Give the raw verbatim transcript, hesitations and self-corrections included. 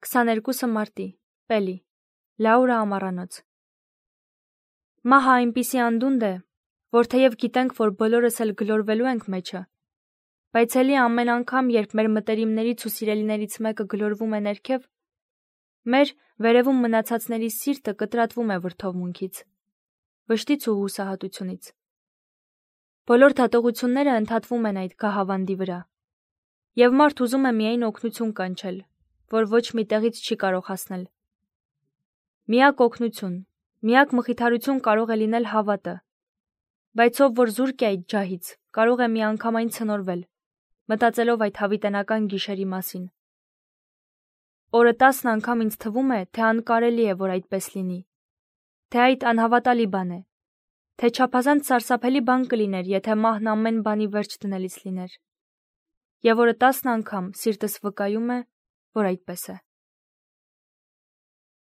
քսաներկուսը մարտի, Պելի, Լաուրա ամառանոց։ Մահը այնպիսի անդունդ է, որ թեև գիտենք, որ բոլորս էլ գլորվելու ենք մեջը, բայց էլի ամեն անգամ, երբ մեր մտերիմներից ու սիրելիներից մեկը գլորվում է ներքև, մեր վերևում մնացածների սիրտը կտրատվում է վրդովմունքից, վշտից ու հուսահատությունից։ Բոլոր դատողությունները ընդհատվում են այդ գահավանդի վրա, և մարդ ուզում է միայն օգնություն կանչել, որ ոչ մի տեղից չի կարող հասնել։ Միակ օգնություն, միակ մխիթարություն կարող է լինել հավատը, բայց ով որ զուրկ է այդ ջահից, կարող է միանգամայն ցնորվել, մտածելով այդ հավիտենական գիշերի մասին։ Օրը տասն անգամ ինձ թվում է, թե անկարելի է, որ այդպես լինի, թե այդ անհավատալի բան է, թե չափազանց սարսափելի բան կլիներ, եթե մահն ամեն բանի վերջ դնելիս լիներ։ Եվ օրը տասն անգամ սիրտս վկայում է, որ այդպես է։